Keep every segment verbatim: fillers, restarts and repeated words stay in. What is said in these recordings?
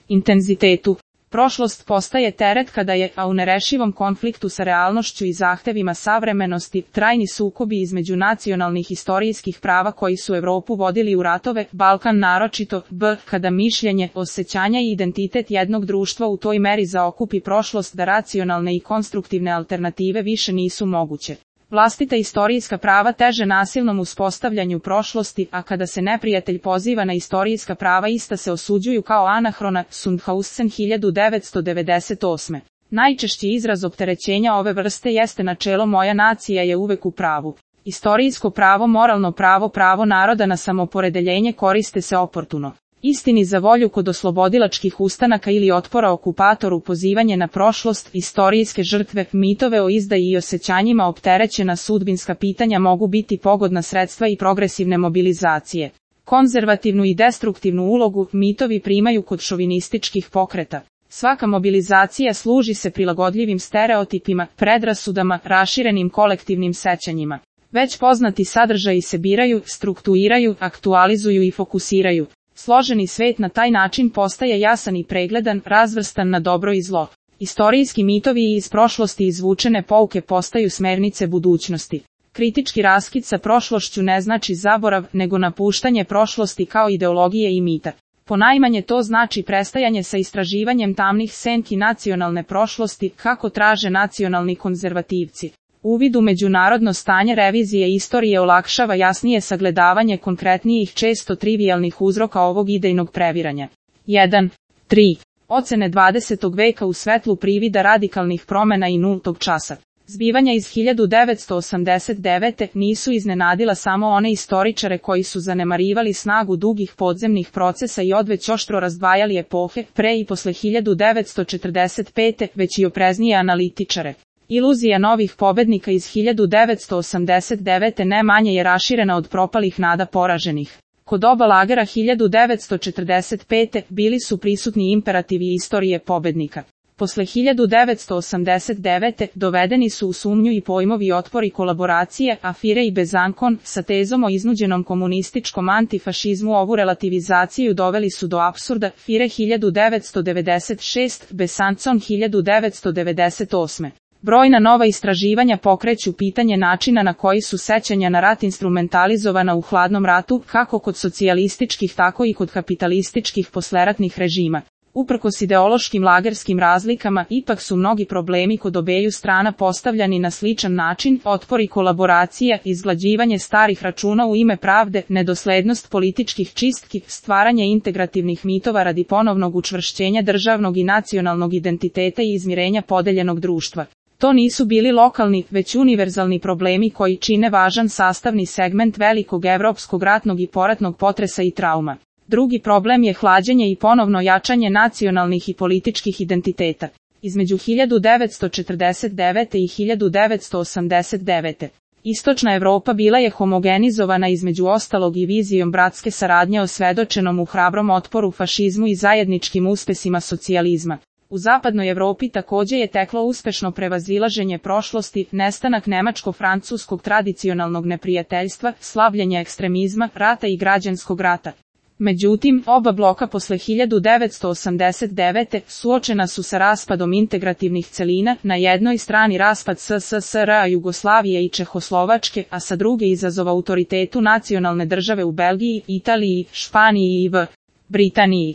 intenzitetu. Prošlost postaje teret kada je, a u nerešivom konfliktu sa realnošću i zahtevima savremenosti, trajni sukobi između nacionalnih istorijskih prava koji su Evropu vodili u ratove, Balkan naročito, b. kada mišljenje, osjećanja i identitet jednog društva u toj meri zaokupi prošlost da racionalne i konstruktivne alternative više nisu moguće. Vlastita istorijska prava teže nasilnom uspostavljanju prošlosti, a kada se neprijatelj poziva na istorijska prava ista se osuđuju kao anahrona, Sundhausen hiljadu devetsto devedeset osme. Najčešći izraz opterećenja ove vrste jeste načelo moja nacija je uvek u pravu. Istorijsko pravo, moralno pravo, pravo naroda na samoporedeljenje koriste se oportuno. Istini za volju kod oslobodilačkih ustanaka ili otpora okupatoru pozivanje na prošlost, istorijske žrtve, mitove o izdaji i osjećanjima opterećena sudbinska pitanja mogu biti pogodna sredstva i progresivne mobilizacije. Konzervativnu i destruktivnu ulogu mitovi primaju kod šovinističkih pokreta. Svaka mobilizacija služi se prilagodljivim stereotipima, predrasudama, raširenim kolektivnim sećanjima. Već poznati sadržaji se biraju, strukturiraju, aktualizuju i fokusiraju. Složeni svet na taj način postaje jasan i pregledan, razvrstan na dobro i zlo. Istorijski mitovi i iz prošlosti izvučene pouke postaju smernice budućnosti. Kritički raskid sa prošlošću ne znači zaborav, nego napuštanje prošlosti kao ideologije i mita. Ponajmanje to znači prestajanje sa istraživanjem tamnih senki nacionalne prošlosti, kako traže nacionalni konzervativci. Uvid u međunarodno stanje revizije istorije olakšava jasnije sagledavanje konkretnijih često trivijalnih uzroka ovog idejnog previranja. jedan. tri. Ocene dvadesetog veka u svetlu privida radikalnih promena i nultog časa. Zbivanja iz hiljadu devetsto osamdeset devete. nisu iznenadila samo one istoričare koji su zanemarivali snagu dugih podzemnih procesa i odveć oštro razdvajali epohe, pre i posle hiljadu devetsto četrdeset pete. već i opreznije analitičare. Iluzija novih pobednika iz hiljadu devetsto osamdeset devete. ne manje je raširena od propalih nada poraženih. Kod oba lagera hiljadu devetsto četrdeset pete. bili su prisutni imperativi istorije pobednika. Posle hiljadu devetsto osamdeset devete. dovedeni su u sumnju i pojmovi otpor i kolaboracije, Afire i Bezankon, sa tezom o iznuđenom komunističkom antifašizmu ovu relativizaciju doveli su do apsurda, Fire hiljadu devetsto devedeset šeste. Besancon hiljadu devetsto devedeset osme. Brojna nova istraživanja pokreću pitanje načina na koji su sećanja na rat instrumentalizovana u hladnom ratu, kako kod socijalističkih tako i kod kapitalističkih posleratnih režima. Uprkos ideološkim lagerskim razlikama, ipak su mnogi problemi kod obeju strana postavljani na sličan način, otpor i kolaboracija, izglađivanje starih računa u ime pravde, nedoslednost političkih čistki, stvaranje integrativnih mitova radi ponovnog učvršćenja državnog i nacionalnog identiteta i izmirenja podeljenog društva. To nisu bili lokalni, već univerzalni problemi koji čine važan sastavni segment velikog evropskog ratnog i poratnog potresa i trauma. Drugi problem je hlađenje i ponovno jačanje nacionalnih i političkih identiteta. Između hiljadu devetsto četrdeset devete. i hiljadu devetsto osamdeset devete. Istočna Evropa bila je homogenizovana između ostalog i vizijom bratske saradnje osvedočenom u hrabrom otporu fašizmu i zajedničkim uspesima socijalizma. U zapadnoj Evropi takođe je teklo uspešno prevazilaženje prošlosti, nestanak nemačko-francuskog tradicionalnog neprijateljstva, slavljenje ekstremizma, rata i građanskog rata. Međutim, oba bloka posle hiljadu devetsto osamdeset devete. suočena su sa raspadom integrativnih celina, na jednoj strani raspad S S S R-a Jugoslavije i Čehoslovačke, a sa druge izazov autoritetu nacionalne države u Belgiji, Italiji, Španiji i v. Britaniji.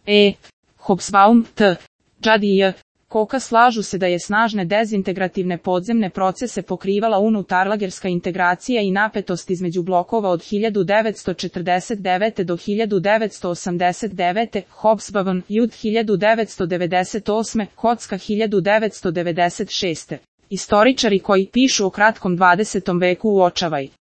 E. Hobsbawm, T. Judd i J. Koka slažu se da je snažne dezintegrativne podzemne procese pokrivala unutarlagerska integracija i napetost između blokova od hiljadu devetsto četrdeset devete. do hiljadu devetsto osamdeset devete. Hobsbawm, Judd hiljadu devetsto devedeset osme. Kocka hiljadu devetsto devedeset šeste. Istoričari koji pišu o kratkom dvadesetom veku uočavaju